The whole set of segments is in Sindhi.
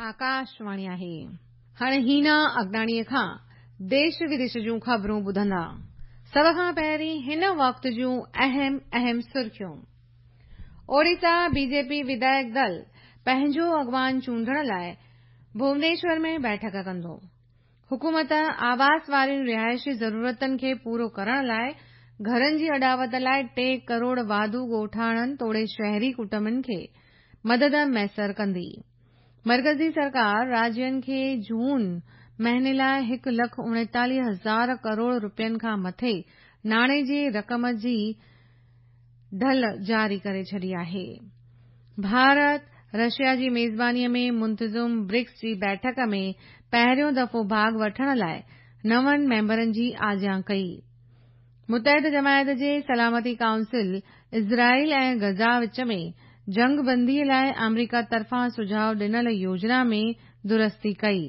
آڪاشواڻي آهي. هاڻي هينا اگناڻيء کان ديش وديش جون خبرون ٻڌندا. سڀ کان پهرين هن وقت جون اهم اهم سرخيون. اوڙيسا بي جي پي وڌايڪ دل پنهنجو اڳواڻ چونڊڻ لاء ڀونيشور ۾ بيٺڪ ڪندو. حڪومت آواس وارين رهائشي ضرورتن کي پورو ڪرڻ لاء گهرن جي اڏاوت لاء 3 ڪروڙ واڌو ڳوٺاڻن توڙي شهري ڪٽنبن کي مدد ميسر ڪندي. مرڪزي سرڪار راجين کي جون مهيني لاء 1 لک 39 هزار ڪروڙ رپين کان مٿي ناڻي جي رقم جي ڍل جاري ڪري ڇڏي آهي. ڀارت، رشيا جي ميزباني ۾ منتظم برڪس جي بيٺڪ ۾ پهريون دفعو ڀاڳ وٺڻ لاء نون ميمبرن جي آجيان ڪئي. متحده جماعت جي سلامتي ڪائونسل اسرائيل ۽ غزه وچ ۾ جنگ بندي لاء آمريڪا طرفان سجهاء ڏنل يوجنا ۾ درستي ڪئي.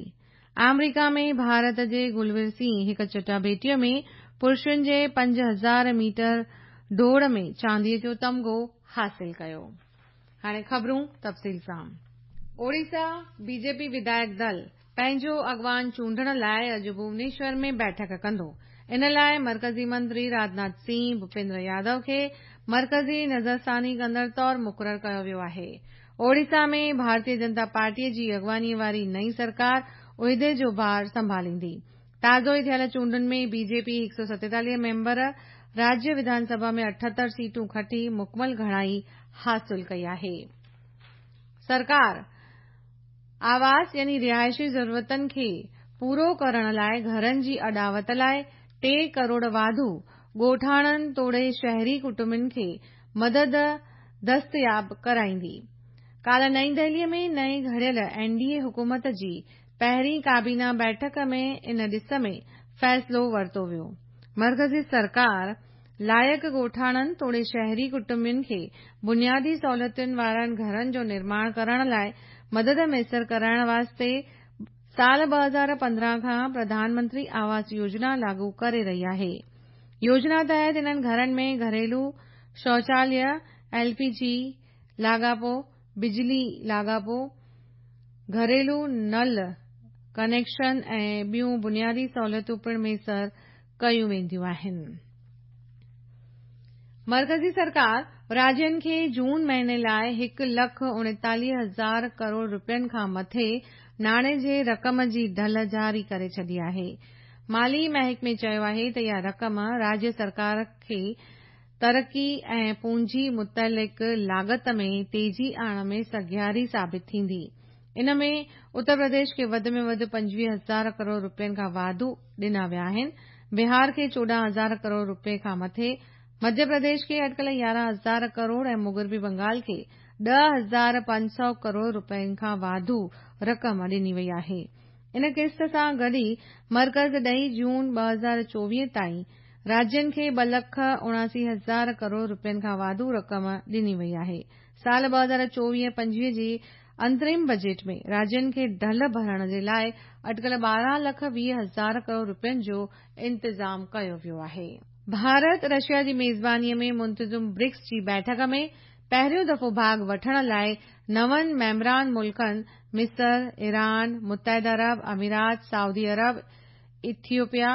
آمريڪا ۾ ڀارت جي گلوير سنگهه هڪ چٽاڀيٽيء ۾ پرشن جي 5000 ميٽر ڊوڙ ۾ چانديء جو تمغو حاصل ڪيو. هاڻي خبرون تفصيل سان. اوڙيسا بي جي پي وڌايڪ دل پنهنجو اڳواڻ چونڊڻ لاء اڄ ڀونيشور ۾ بيٺڪ ڪندو. ان لاء مرڪزي منتري راجناٿ سنگهه، ڀوپيندر يادو کي مرڪزي نظرثاني ڪندڙ طور مقرر ڪيو ويو آهي. اوڙيسا ۾ ڀارتيه جنتا پارٽيء جي اڳواڻيء واري نئين سرڪار عهدي جو بار سنڀاليندي. تازو ئي ٿيل چونڊن ۾ بي جي پي 147 ميمبر راجيه وڌان سڀا ۾ 78 سيٽون کٽي مڪمل گهڻائي حاصل ڪئي آهي. سرڪار آواس يعني رهائشي ضرورتن کي پورو ڪرڻ لاء گهرن جي اڏاوت لاء 3 ڪروڙ واڌو ڳوٺاڻن توڙي شهري ڪٽنبن کي مدد دستياب ڪرائيندي. ڪالهه نئين دهليء ۾ نئين گهڙيل اين ڊي اي حڪومت جي پهرين ڪابينا بيٺڪ ۾ ان ڏس ۾ فيصلو ورتو ويو. مرڪزي سرڪار لائق ڳوٺاڻن توڙي شهري ڪٽنبن کي بنيادي سهولتن وارن گهرن جو نرماڻ ڪرڻ لاء مدد ميسر ڪرائڻ واسطي سال 2015 کان پرڌان منتري آواس يوجنا لاڳو ڪري رهي آهي. يوجنا تحت انهن گهرن ۾ گهريلو شوچاليه، ايل پي جي لاڳاپو، بجلي لاڳاپو، گهريلو نل ڪنيڪشن ۽ ٻيون بنيادي سهولتون پڻ ميسر ڪيون وينديون آهن. مرڪزي سرڪار راجين کي جون مهيني لاء 1 لک 39 هزار ڪروڙ رپين کان مٿي ناڻي جي رقم جي ڍل جاري ڪري ڇڏي آهي. مالي محڪمي چيو آهي ته اها رقم راجيه سرڪار کي ترقي ۽ پونجي متعلق لاڳت ۾ تيزي آڻڻ ۾ سگهاري ثابت ٿيندي. ان ۾ اتر پرديش کي وڌ ۾ وڌ 25 هزار ڪروڙ رپين کان واڌو ڏنا ويا آهن، بهار کي 14 هزار ڪروڙ رپين کان مٿي، مڌيه پرديش کي اٽڪل 11 هزار ڪروڙ ۽ مغربي بنگال کي 10,500 ڪروڙ رپين کان واڌو رقم ڏني وئي آهي. ان قسط سان گڏ ئي مرڪز ڏهين جون 2024 تائين راجين کي 2 لک 79 هزار ڪروڙ رپين کان واڌو رقم ڏني وئي آهي. سال 2024-25 جي انترم بجيٽ ۾ راجين کي ڍل ڀرڻ جي لاء اٽڪل 12 لک 20 هزار ڪروڙ رپين جو انتظام ڪيو ويو آهي. ڀارت رشيا جي ميزباني ۾ منتظم برڪس جي بيٺڪ ۾ پهريون دفعو ڀاڳ وٺڻ لاء نون ميمبران ملڪن مصر، ايران، متحده عرب امارات، سعودي عرب، ايٿيوپيا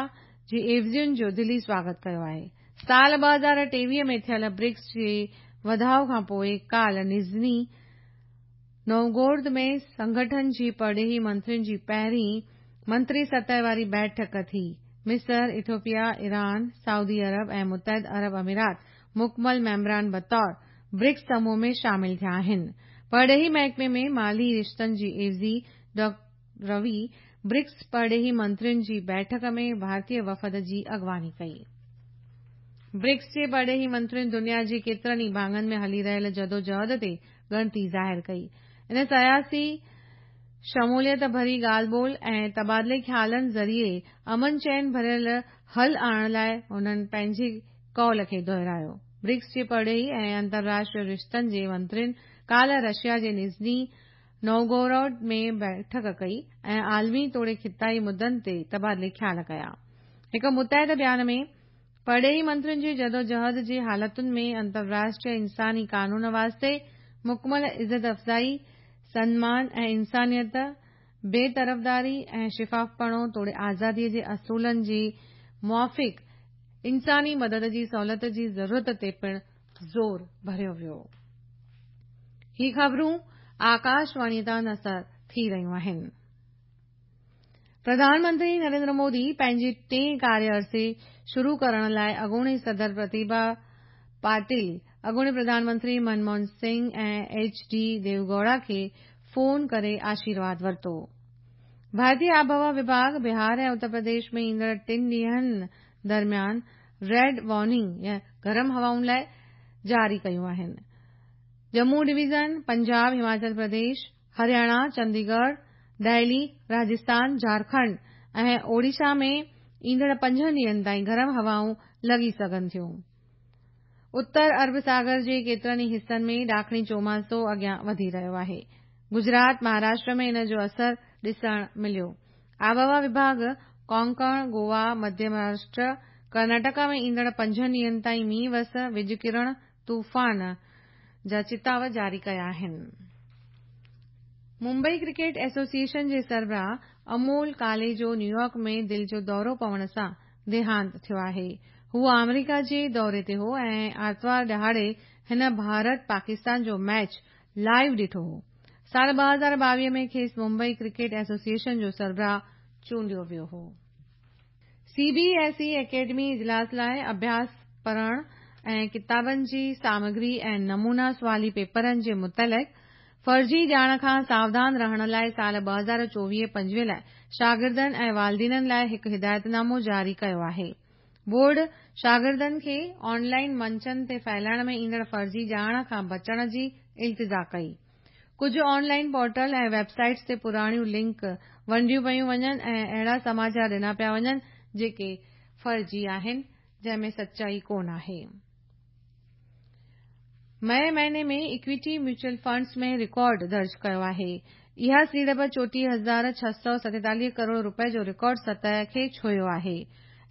جي عيوضين جو دلي سواگت ڪيو آهي. سال 2023 ۾ ٿيل برڪس جي وڌاء کانپوء ڪالهه نزني نووگورد ۾ سنگٺن جي پرڏيهي منترين جي پهرين منتري سطح واري بيٺڪ ٿي. مصر، ايٿوپيا، ايران، سعودي عرب ۽ متحده عرب امارات مڪمل ميمبران بطور برڪس سموهه ۾ شامل ٿيا آهن. پرڏيهي محڪمي ۾ مالي رشتن جي عيوضي ڊاڪٽر روي برڪس پرڏيهي منترين جي بيٺڪ ۾ ڀارتي وفد جي اڳواڻي ڪئي. برڪس جي پرڏيهي منترين دنيا جي ڪيترن ئي ڀاڱن ۾ هلي رهيل جدوجهد تي ڳڻتي ظاهر ڪئي. ان سياسي شموليت ڀري ڳالهه ٻولهه ۽ تبادلي خيالن ذريعي امن چين ڀريل حل آڻڻ لاء هنن پنهنجي قول کي دهرايو. برڪس جي پرڏيهي ۽ انترراشٽريه رشتن جي منترين ڪالهه رشيا جي نزني نووگوروڊ ۾ بيٺڪ ڪئي ۽ عالمي توڙي خطائي مدن تي تبادلي خيال ڪيا. هڪ متحده بيان ۾ پرڏيهي منترين جي جدوجهد جي حالتن ۾ انترراشٽريه انساني قانون واسطي مڪمل عزت افزائي، سنمان ۽ انسانيت بي طرفداري ۽ شفافپڻو توڙي آزادي جي اصولن جي موافق انساني مدد جي سهولت جي ضرورت تي پڻ زور ڀريو ويو. هي خبرون آڪاشواڻي تان نشر ٿي رهيون آهن. پرڌان منتري نريندر مودي پنهنجي ٽئين ڪاريه عرصي شروع ڪرڻ لاء اڳوڻي صدر پرتيڀا پاٽيل، اڳوڻي پرڌان منتري منموهن سنگهه ۽ ايڇ ڊي ديوگوڙا کي فون ڪري آشيرواد ورتو. ڀارتي آبهوا وڀاڳ بهار ۽ اتر پرديش ۾ ايندڙ ٽن ڏينهن درميان ريڊ وارننگ يا گرم هوائن لاء جاري ڪيون آهن. ڄمون ڊويزن، پنجاب، هماچل پرديش، هرياڻا، چنديڳڙهه، دهلي، راجسٿان، جهارکنڊ ۽ اوڙيشا ۾ ايندڙ پنجن ڏينهن تائين گرم هوائون لڳي سگهن ٿيون. اتر عرب ساگر جي ڪيترن ئي حصن ۾ ڏاکڻي چوماسو اڳيان وڌي رهيو آهي. گجرات، مهاراشٽر ۾ ان جو اثر ڏسڻ مليو. آبهوا وڀاڳ ڪونڪڻ، گوا، مڌيه مهاراشٽر، ڪرناٽڪا ۾ ايندڙ پنجن ڏينهن تائين مينهن وس، وڄ ڪرڻ، طوفان جا چتاء جاري ڪيا آهن. ممبئي ڪرڪيٽ ايسوسيئيشن جي سربراهه امول ڪالي جو نيويارڪ ۾ دل جو دورو پوڻ سان ديهانت ٿيو آهي. هو آمريڪا جي دوري تي هو ۽ آرتوار ڏهاڙي هن ڀارت پاڪستان جو ميچ لائيو ڏٺو هو. سال 2022 ۾ کيس ممبئي ڪرڪيٽ ايسوسيئيشن جو سربراهه چونڊيو ويو هو. سي بي ايس اي اڪيڊمي اجلاس لاء اڀياس پڙهڻ ۽ ڪتابن جي سامگري ۽ نمونا سوالي پيپرن جي متعلق فرضي ڄاڻ کان ساوڌان رهڻ لاء سال 2024-25 لاء شاگردن ۽ والدينن لاء هڪ هدايتنامو جاري ڪيو آهي. بورڊ شاگردن کي آن لائن منچن تي ڦهلائڻ ۾ ايندڙ فرضي ڄاڻ کان بچڻ جي التجا ڪئي. ڪجهه on line portal ۽ web sites تي پراڻيون لنڪ ونڊيون پيون وڃن ۽ اهڙا سماچار ڏنا پيا وڃن جيڪي فرضي آهن جنهن ۾ سچائي ڪونه آهي. مئي مهيني ۾ ايڪويٽي ميوچل فنڊز ۾ رڪارڊ درج ڪيو آهي. اها سيڙپ 34,647 ڪروڙ رپئي جو رڪارڊ سطح کي ڇهيو آهي.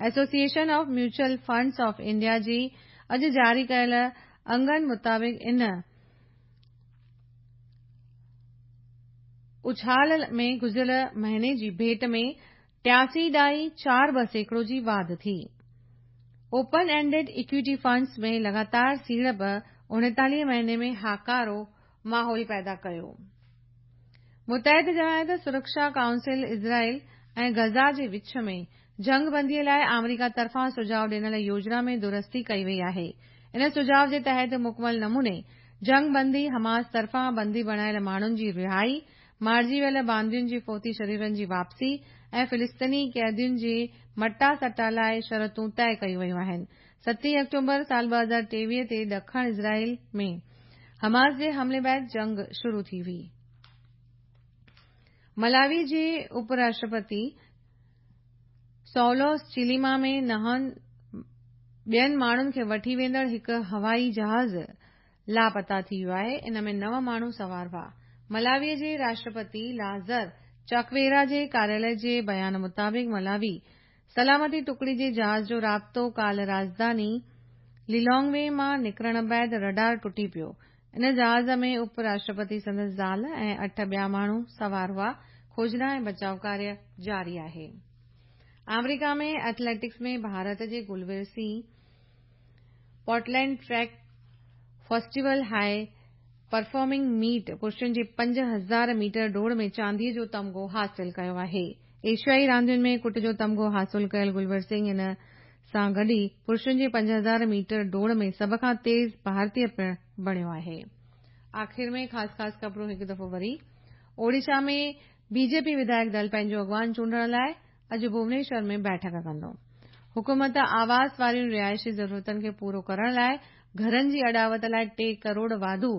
Association of mutual funds of India جي اڄ جاري ڪيل انگن مطابق ان اڇال ۾ گذريل مهيني جي ڀيٽ ۾ 83.42 سيڪڙو جي واڌ ٿي. اوپن اينڊڊ ايڪويٽي فنڊز ۾ لڳاتار سيڙپ 39 مهيني ۾ هاڪارو ماحول پيدا ڪيو. متحده جماعت سرڪشا ڪائونسل اسرائيل ۽ غزه جي وچ ۾ جنگ بندي لاء آمريڪا طرفان سجهاء ڏنل يوجنا ۾ درستي ڪئي وئي آهي. ان سجهاء جي تحت مڪمل نموني جنگ بندي، حماس طرفان بندي بڻايل ماڻهن جي رهائي، مارجي ويل باندين جي فوتي شريرن جي واپسي ۽ فلسطيني قيدين جي مٽا سٽا لاء شرطون طئي ڪيون ويون آهن. ستين آڪٽوبر سال 2023 تي ڏکڻ اسرائيل ۾ حماس جي حملي بعد جنگ شروع ٿي هئي. ملاوي جي اپ راشٽرپتي سولوس چليما ۾ نهن ٻين ماڻهن کي وٺي ويندڙ هڪ هوائي جهاز لاپتا ٿي ويو آهي، ان ۾ نو ماڻهو سوار هئا. ملاوي جي راشٽرپتي لازر چڪويرا جي ڪاريالي جي بيان مطابق ملاوي سلامتي ٽڪڙي جي جهاز جو رابطو ڪالهه راڄڌاني ليلونگوي مان نڪرڻ بعد رڊار ٽٽي پيو. ان جهاز ۾ اپ راشٽرپتي، سندس زال ۽ اٺ ٻيا ماڻهو سوار هئا. کوجنا ۽ بچاء ڪاريه جاري آهي. آمريڪا ۾ ايٿليٽڪس ۾ ڀارت جي Gulveer Singh Portland track festival high performing meet پرشن جي 5000 ميٽر ڊوڙ ۾ چاندي جو تمغو حاصل ڪيو آهي. ايشيائي راندين ۾ ڪٽ جو تمغو حاصل ڪيل گلوير سنگهه ان سان گڏ ئي پرشن جي 5000 ميٽر ڊوڙ ۾ سڀ کان تيز ڀارتي پڻ بڻيو آهي. آخر ۾ خاص خاص خبرون هڪ دفعو وري. اوڙيشا ۾ بي جي پي وڌايڪ دل پنهنجو اڳواڻ چونڊڻ لاء اڄ ڀونيشور ۾ بيٺڪ ڪندو. حڪومت آواس وارين رهائشي ضرورتن کي پورو ڪرڻ لاء گهرن جي اڏاوت لاء 3 ڪروڙ واڌو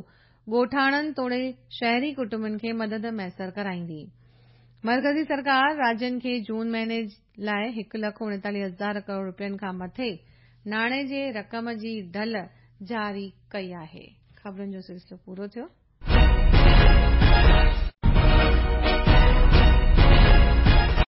ڳوٺاڻن توڙي شهري ڪٽنبن کي مدد ميسر ڪرائيندي. مرڪزي سرڪار راجين کي جون مهيني لاء 1,39,000 ڪروڙ رپين کان مٿي ناڻي جي رقم جي ڍل جاري ڪئي آهي. خبرن جو سلسلو پورو ٿيو.